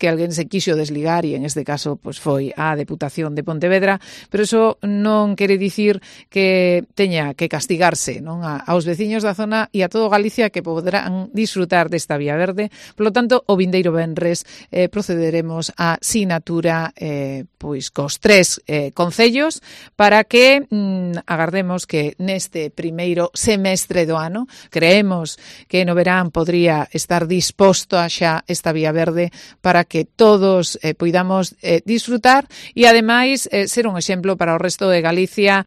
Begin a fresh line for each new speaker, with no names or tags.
que alguén se quixo desligar e en este caso pois foi a Deputación de Pontevedra, pero iso non quere dicir que teña que castigarse, non, aos veciños da zona e a todo Galicia que poderán disfrutar desta vía verde. Por lo tanto, o vindeiro venres procederemos á sinatura pois cos 3 concellos para que agardemos que neste primeiro semestre do ano, creemos que no verán podría estar disposto a xa esta vía verde para que todos poidamos disfrutar e ademais ser un exemplo para o resto de Galicia